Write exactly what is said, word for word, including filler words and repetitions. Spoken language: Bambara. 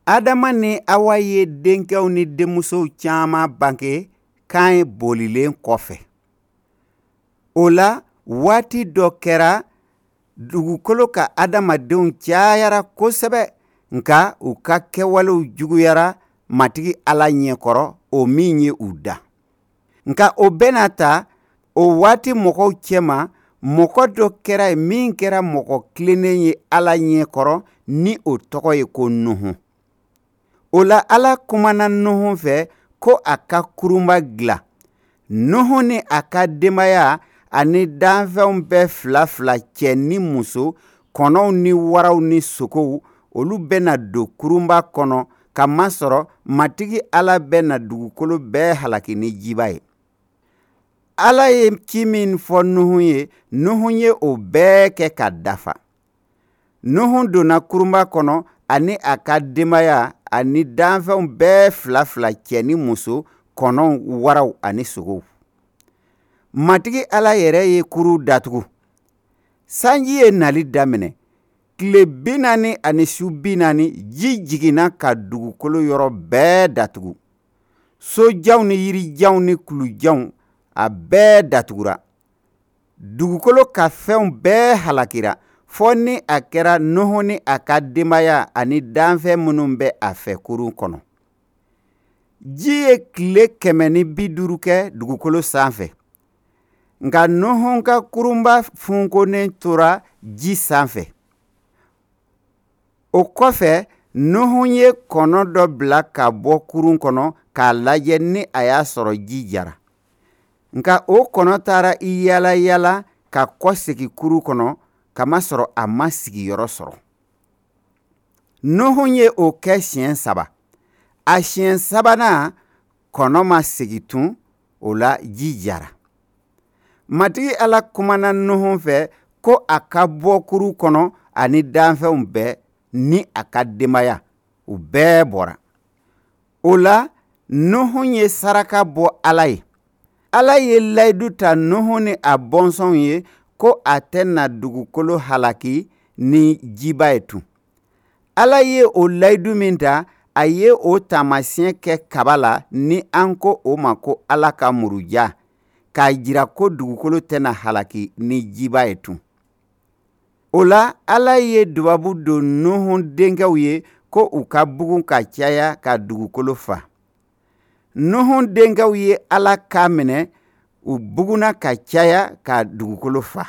Adama ni Awa ye denkɛw ni denmusow caman bange Kaɲɛ bolilen kɔfɛ. O la, waati dɔ kɛra dugukolo ka adamadenw cayara kosɛbɛ, nka u ka kɛwalew juguyara Matigi Ala ɲɛkɔrɔ, o min ye u da. Nka o bɛɛ n'a ta, o waati mɔgɔw cɛma, mɔgɔ dɔ kɛra yen min kɛra mɔgɔ tilennen ye Ala ɲɛkɔrɔ, ni o tɔgɔ ye ko Nuhun. O la, Ala kumana Nuhun fɛ ko a ka kurunba dilan. Nuhun ni a ka denbaya ani danfɛnw bɛɛ fila fila, cɛ ni muso, kɔnɔw ni waraw ni sogow, olu bɛna don kurunba kɔnɔ, k'a masɔrɔ Matigi Ala bɛna dugukolo bɛɛ halaki ni jiba ye. Ala ye ci min fɔ Nuhun ye, Nuhun ye o bɛɛ kɛ ka dafa. Nuhun donna kurunba kɔnɔ ani a ka denbaya ani danfɛnw bɛɛ fila fila, cɛ ni muso, kɔnɔw, waraw ani sogow. Matigi Ala yɛrɛ ye kurun datugu. Sanji ye nali daminɛ. Tile bi naani ani su bi naani, ji jiginna ka dugukolo yɔrɔ bɛɛ datugu. Sojanw ni yirijanw ni kulujanw, a bɛɛ datugura. Dugukolo ka fɛnw bɛɛ halakira, fɔ ni a kɛra Nuhun ni a ka denbaya ani danfɛn minnu bɛ a fɛ kurun kɔnɔ. Ji ye tile kɛmɛ ni bi duuru kɛ dugukolo sanfɛ. Nka Nuhun ka kurunba funkonnen tora ji sanfɛ. O kɔfɛ, Nuhun ye kɔnɔ dɔ bila ka bɔ kurun kɔnɔ k'a lajɛ ni a y'a sɔrɔ ji jara. Nka o kɔnɔ taara i yaala yaala ka kɔsegin kurun kɔnɔ, kamasɔrɔ a ma sigiyɔrɔ sɔrɔ. Nuhun ye o kɛ siɲɛ saba. A siɲɛ sabanan, kɔnɔ ma segin tun, o la ji jara. Matigi Ala kumana Nuhun fɛ ko a ka bɔ kurun kɔnɔ ani danfɛnw bɛɛ ni a ka denbaya, u bɛɛ bɔra. O la, Nuhun ye saraka bɔ Ala ye. Ala ye layidu ta Nuhun ni a bɔnsɔnw ye ko a tɛna dugukolo halaki ni jiba ye tun. Ala ye o layidu min ta, a ye o taamasiyɛn kɛ kaba la, ni an ko o ma ko Ala ka muruja, k'a jira ko dugukolo tɛna halaki ni jiba ye tun. O la, Ala ye dubabu don Nuhun denkɛw ye ko u ka bugun ka caya ka dugukolo fa. Nuhun denkɛw ye Ala kan minɛ, u bugunna ka caya ka dugukolo fa.